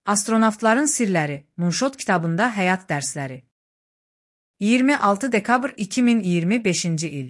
Astronavtların sirləri, Moonshot kitabında həyat dərsləri. 26 dekabr 2025-ci il.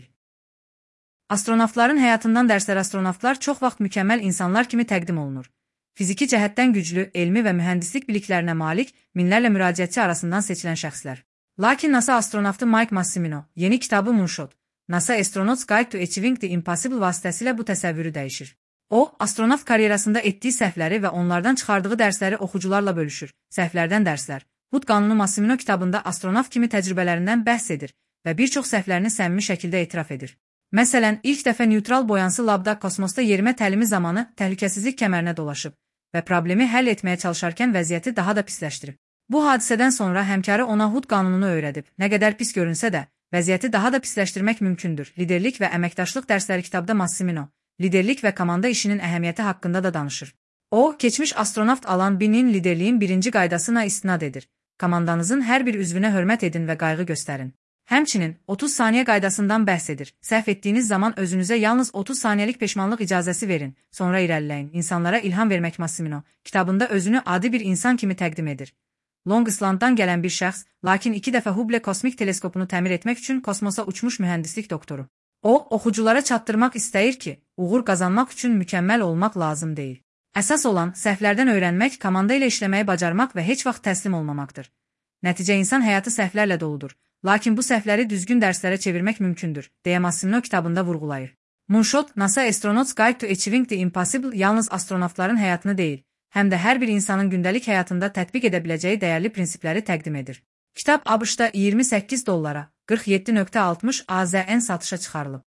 Astronavtların həyatından dərslər. Astronavtlar çox vaxt mükəmməl insanlar kimi təqdim olunur. Fiziki cəhətdən güclü, elmi və mühəndislik biliklərinə malik minlərlə müraciətçi arasından seçilən şəxslər. Lakin NASA astronavtı Mike Massimino yeni kitabı Moonshot, NASA Astronaut's Guide to Achieving the Impossible vasitəsilə bu təsəvvürü dəyişir. O, astronavt karyerasında etdiyi səhvləri və onlardan çıxardığı dərsləri oxucularla bölüşür. Səhvlərdən dərslər. Hud qanunu Massimino kitabında astronavt kimi təcrübələrindən bəhs edir və bir çox səhvlərini səmimi şəkildə etiraf edir. Məsələn, ilk dəfə neutral boyansı labda kosmosda yerimə təlimi zamanı təhlükəsizlik kəmərinə dolaşıb və problemi həll etməyə çalışarkən vəziyyəti daha da pisləşdirib. Bu hadisədən sonra həmkarı ona Hud qanununu öyrədib. Nə qədər pis görünsə də, vəziyyəti daha da pisləşdirmək mümkündür. Liderlik və əməkdaşlıq dərsləri kitabda Massimino liderlik və komanda işinin əhəmiyyəti haqqında da danışır. O, keçmiş astronavt Alan Binnin liderliyin birinci qaydasına istinad edir. Komandanızın hər bir üzvünə hörmət edin və qayğı göstərin. Həmçinin 30 saniyə qaydasından bəhs edir. Səhv etdiyiniz zaman özünüzə yalnız 30 saniyəlik peşmanlıq icazəsi verin, sonra irəliləyin. İnsanlara ilham vermək. Massimino kitabında özünü adi bir insan kimi təqdim edir. Long Islanddan gələn bir şəxs, lakin 2 dəfə Hubble kosmik teleskopunu təmir etmək üçün kosmosa uçmuş mühəndislik doktoru. O, oxuculara çatdırmaq istəyir ki, uğur qazanmaq üçün mükəmməl olmaq lazım deyil. Əsas olan səhvlərdən öyrənmək, komanda ilə işləməyi bacarmaq və heç vaxt təslim olmamaqdır. Nəticə insan həyatı səhvlərlə doludur, lakin bu səhvləri düzgün dərslərə çevirmək mümkündür, deyə Massimino kitabında vurğulayır. Moonshot, NASA Astronaut's Guide to Achieving the Impossible yalnız astronavtların həyatını deyil, həm də hər bir insanın gündəlik həyatında tətbiq edə biləcəyi dəyərli prinsipləri təqdim edir. Kitab ABŞ-da $28 47.60 AZN satışa çıxarılıb.